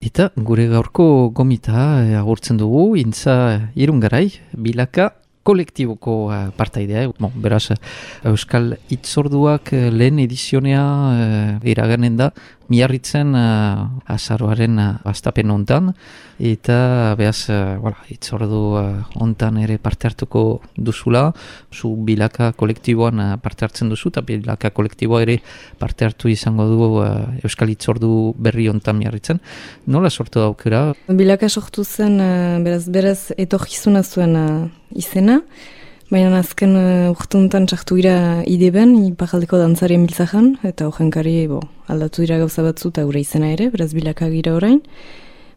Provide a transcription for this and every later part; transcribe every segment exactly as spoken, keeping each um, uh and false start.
Eta gure gaurko gomita eh, agurtzen dugu, intza Irungarai, Bilaka kolektiboko uh, partaidea. Bon, beraz, Euskal Hitzorduak uh, lehen edizionea uh, iraganen da, miarritzen uh, azaroaren uh, astapen hontan, eta behaz, uh, voilà, Hitzordu uh, hontan ere parte hartuko duzula, zu Bilaka kolektiboan uh, parte hartzen duzu, eta Bilaka kolektiboa ere parte hartu izango du uh, Euskal Hitzordu berri hontan miarritzen. Nola sortu daukera? Bilaka sortu zen, uh, beraz, beraz, etorkizuna zuen uh, izena, baina azken uh, urtuntan txartu gira ideben, iparaldeko dantzarien biltzajan, eta horrenkari bo, aldatu dira gauza batzu eta gure izena ere, beraz Bilaka gira orain.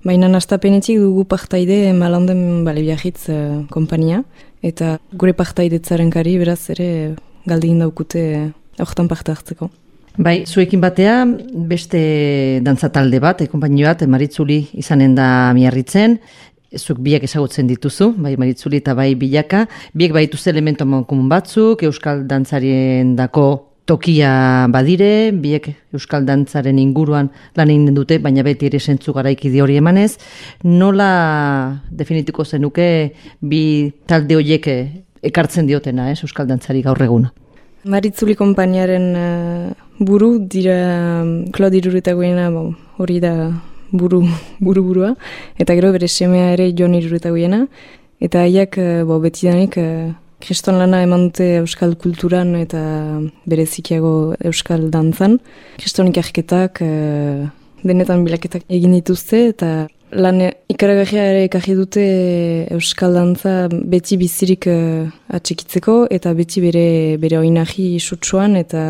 Baina nastapenetik dugu partaide malanden bale biarritz uh, kompania, eta gure partaidetzaren kari beraz ere galdegin daukute horretan parte hartzeko. Bai, zuekin batea, beste dantzatalde bat, e, konpainio bat, Maritzuli izanen da miarritzen, zuk biak ezagutzen dituzu, bai Maritzuli eta bai Bilaka, biek baituzte elementu komun batzuk, euskal dantzarien dako tokia badire, biek euskal dantzaren inguruan lan egin dute, baina beti ere sentzu garaikide hori emanez. Nola definituko zenuke bi talde horiek ekartzen diotena, ez, euskal dantzari gaur eguna? Maritzuli konpainiaren uh, buru dira Claude Iruretagoiena, bon, hori da buru, buru burua, eta gero bere semea ere Jon Iruretagoiena, eta haiek uh, bo, betidanik uh, kriston lana eman dute euskal kulturan eta berezikiago euskal dantzan. Kriston ikarketak, uh, denetan bilaketak egin dituzte, eta lan ikaragarria ere ekarri dute euskal dantza beti bizirik uh, atxekitzeko, eta beti bere, bere oinahi sutsuan, eta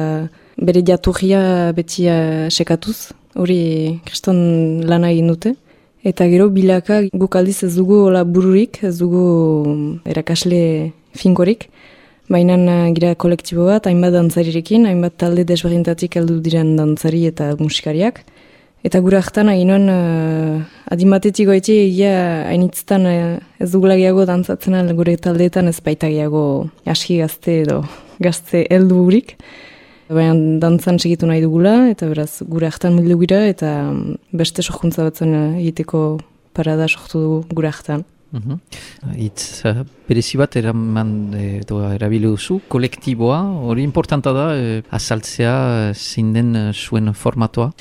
bere jaturria beti uh, sekatuz. Hori kriston lana egin dute. Eta gero Bilaka guk aldiz ez dugu hola bururik, ez dugu erakasle finkorik, baina gira kolektibo bat, hainbat dantzarirekin, hainbat talde desberdintatik heldu diren dantzari eta musikariak. Eta gure hartan aginoan uh, adimatetik goiti egia hainitzetan uh, ez dugula gehiago dantzatzen gure taldeetan ez baita gehiago aski gazte edo gazte heldu burik. Baina dantzan segitu nahi dugula, eta beraz gure hartan mildu gira, eta beste sorkuntza batzen egiteko parada sortu dugu gure hartan. Uh-huh. Itz uh, berezi bat eraman edo erabili duzu, kolektiboa, hori importanta da, eh, azaltzea zein den uh, zuen formatoa?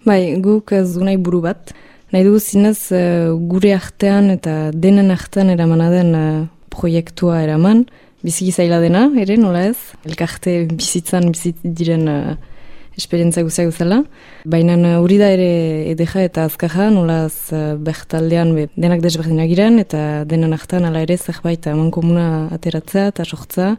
Bai, guk ez du nahi buru bat. Nahi dugu zinez uh, gure artean eta denen artean eramana den uh, proiektua eraman, biziki zaila dena, ere, nola ez? Elkarte bizitzan bizit diren uh, esperientzia guztiak guzela. Baina hori uh, da ere edeja eta azkaja, nola ez uh, bertaldean be, denak desberdinak giren, eta denen artean ala ere zerbait eman komuna ateratzea eta sortza,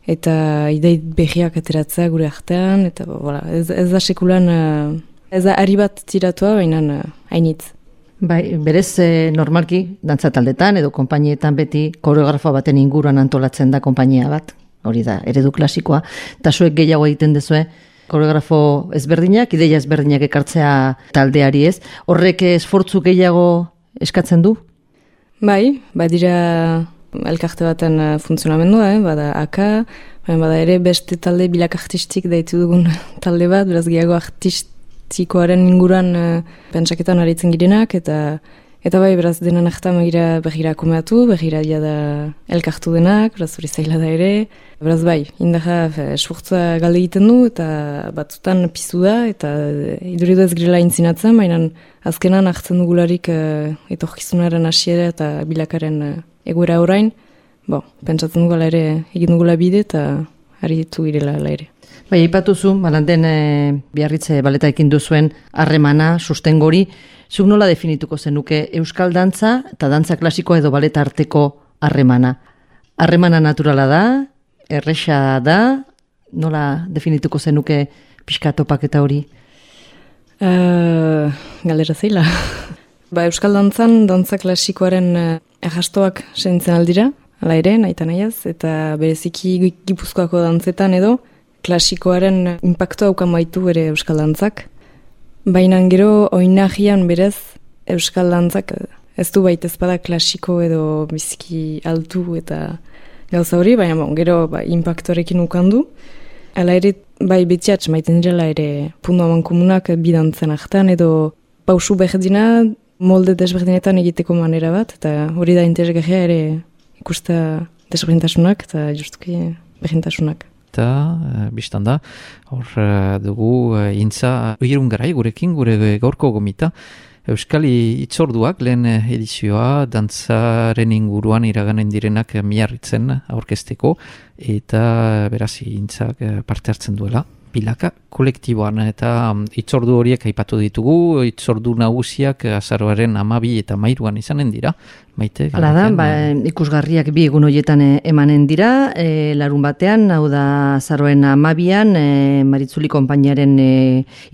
eta ideit behiak ateratzea gure artean, eta voilà, ez, ez da sekulan, uh, ez da ari bat tiratua, baina uh, hainitz. Bai, berez eh, normalki dantzataldetan edo konpainietan beti koreografo baten inguruan antolatzen da konpainia bat. Hori da, eredu klasikoa. Eta zuek gehiago egiten dezue, koreografo ezberdinak, ideia ezberdinak ekartzea taldeari ez. Horrek esfortzu gehiago eskatzen du? Bai, badira elkarte baten funtzionamendua, eh? Bada aka, bada ere beste talde Bilaka artistik daitu dugun talde bat, beraz gehiago artist txikoaren inguruan uh, pentsaketan aritzen girenak, eta eta bai, beraz, denan ahtan begira begira komeatu, begira dia da elkartu denak, beraz, hori zaila da ere. Beraz, bai, indaja esfortza galde egiten du, eta batzutan pizu da, eta iduridu ez girela intzinatzen, baina azkenan hartzen dugularik uh, etorkizunaren hasiera eta Bilakaren uh, egoera orain, bo, pentsatzen dugula ere egin dugula bide, eta aritu girela ere. Bai, aipatuzu, balanden e, Biarritze baleta ekin duzuen harremana, sustengori, zuk nola definituko zenuke euskal dantza eta dantza klasikoa edo baleta arteko harremana? Harremana naturala da, erresa da, nola definituko zenuke pixka topaketa hori? Uh, Galdera zeila. Ba, euskal dantzan, dantza klasikoaren uh, errastoak sentzen aldira, ala ere, nahi nahiaz, eta bereziki Gipuzkoako dantzetan edo, klasikoaren inpaktua haukan baitu ere euskal dantzak. Baina gero oinahian berez euskal dantzak ez du baita ezpada klasiko edo biziki altu eta gauza hori, baina bon, gero ba, inpaktuarekin ukandu. Hala ere, bai betiatx maiten direla ere pundu haman komunak bidantzen hartan edo pausu berdina molde desberdinetan egiteko manera bat, eta hori da interesgarria ere ikusta desberdintasunak eta justuki berdintasunak. Eta, uh, biztan da, hor uh, dugu uh, intza irungarai gurekin, gure gaurko gomita, Euskali itzorduak lehen edizioa dantzaren inguruan iraganen direnak miarritzen aurkezteko, eta beraz intzak parte hartzen duela. Bilaka kolektiboan eta itzordu horiek aipatu ditugu, itzordu nagusiak azaroaren amabi eta mairuan izanen dira. Maite? Hala da, ba, ikusgarriak bi egun horietan emanen dira, e, larun batean, hau da azaroaren amabian, e, Maritzuli konpainiaren e,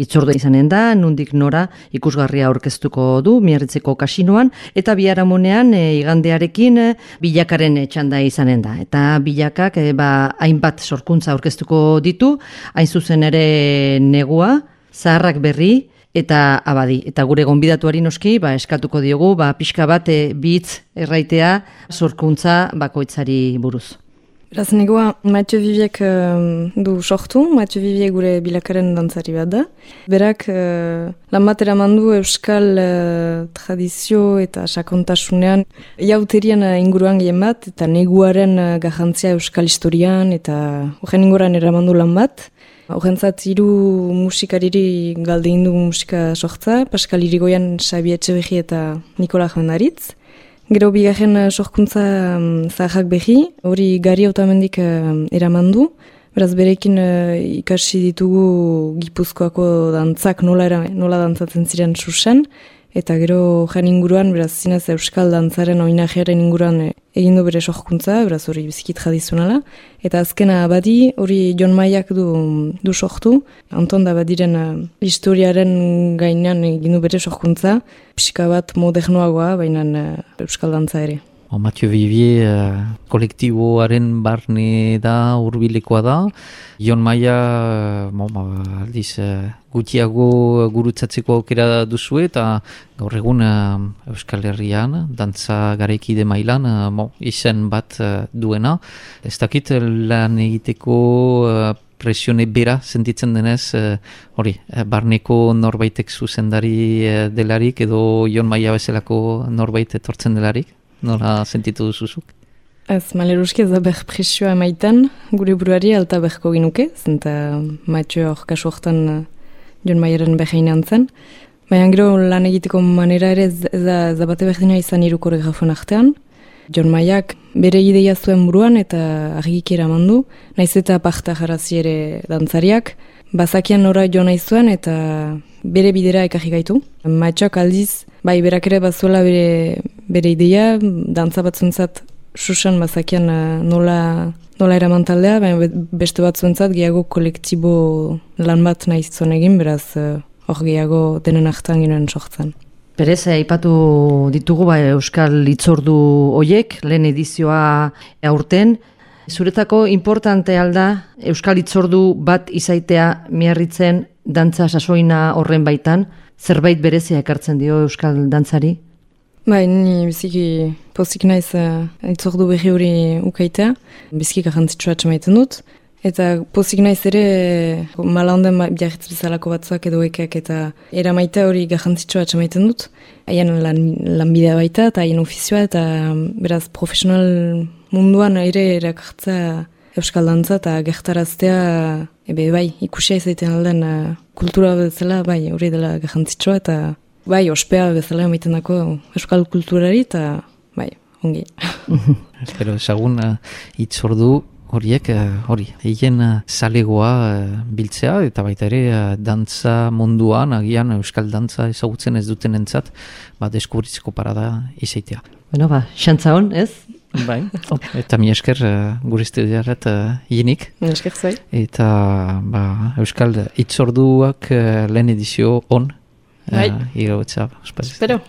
itzordua izanen da, nundik nora ikusgarria aurkeztuko du, Miarritzeko kasinoan, eta biharamunean e, igandearekin e, bilakaren txanda izanen da. Eta bilakak e, ba, hainbat sorkuntza aurkeztuko ditu, hain zuzen ere negua, zaharrak berri, eta abadi. Eta gure gonbidatuari noski, ba, eskatuko diogu, ba, pixka bat e, bitz erraitea sorkuntza bakoitzari buruz. Beraz, negoa Mathieu Viviek uh, du sortu, Mathieu Viviek gure bilakaren dantzari bat da. Berak uh, lan bat eraman du euskal uh, tradizio eta sakontasunean jauterian uh, inguruan gehien bat, eta neguaren uh, garrantzia euskal historian, eta horren inguruan eraman du lan bat. Horrentzat hiru musikariri galde indu musika sortza, Pascal Irigoyen, Xabi Etxeberri eta Nikola Jomendaritz. Gero bigarren sorkuntza um, zaharrak behi, hori Gari Otamendik uh, eraman du. Beraz berekin uh, ikasi ditugu Gipuzkoako dantzak nola, era, nola dantzatzen ziren susen, eta gero jan inguruan, beraz zinez euskal dantzaren oinajearen inguruan e, egin du bere sorkuntza, beraz hori biziki tradizionala. Eta azkena abadi, hori Jon Maiak du, du sortu, Anton da badiren uh, historiaren gainean egin du bere sorkuntza, pixka bat modernoagoa, baina uh, euskal dantza ere. O, Mathieu Vivier uh, kolektiboaren barne da, hurbilekoa da. Jon Maia, uh, bon, ba, aldiz, uh, gutiago gurutzatzeko aukera duzu eta gaur egun uh, Euskal Herrian, dantza garaikide mailan, uh, bon, izen bat uh, duena. Ez dakit lan egiteko uh, presione bera sentitzen denez, uh, hori, uh, barneko norbaitek zuzendari uh, delarik edo Jon Maia bezalako norbait etortzen delarik? Nola sentitu duzuzuk? Ez, maleruski ez da behar presioa emaitan, gure buruari alta beharko ginuke, zenta Mathieu hor kasu hortan uh, Jon Maiaren behain zen. Baina gero lan egiteko manera ere ez, ez da, da bate berdina izan hiru koreografuen artean. Jon Maiak bere ideia zuen buruan eta argiki eraman du, naiz eta parta jarazi ere dantzariak, bazakian nora jo nahi zuen eta bere bidera ekarri gaitu. Mathieuak aldiz, bai berak ere bazuela bere, bere ideia, dantza batzuntzat susan bazakian nola, nola eraman taldea, baina beste batzuentzat gehiago kolektibo lan bat nahi zuen egin, beraz hor gehiago denen hartan ginen sortzen. Perez, aipatu ditugu ba, Euskal Itzordu hoiek, lehen edizioa aurten. Zuretako importante alda Euskal Itzordu bat izaitea Miarritzen dantza sasoina horren baitan, zerbait berezia ekartzen dio Euskal dantzari? Bai, ni biziki pozik naiz uh, itzordu berri hori ukaitea, biziki garrantzitsua atxamaiten dut. Eta pozik naiz ere mala honden biarritz bezalako batzuak edo ekak eta eramaita hori garrantzitsua atxamaiten dut. Haien lan, lanbidea baita eta haien ofizioa eta beraz profesional munduan ere erakartza euskal dantza eta gertaraztea ebe bai ikusia izaiten alden uh, kultura bezala bai hori dela garrantzitsua eta bai ospea bezala emaiten dako euskal kulturari eta bai ongi. Espero ezagun uh, itzordu horiek, hori, egin zalegoa biltzea, eta baita ere dantza munduan, agian euskal dantza ezagutzen ez duten entzat, ba, deskubritzeko parada izaitea. Bueno, ba, xantza hon, ez? Bai, eta mi esker gure estudioarat hinik. Mi esker zai. Eta ba, euskal itzorduak lehen edizio on. Bai. Uh, Iro, Espero.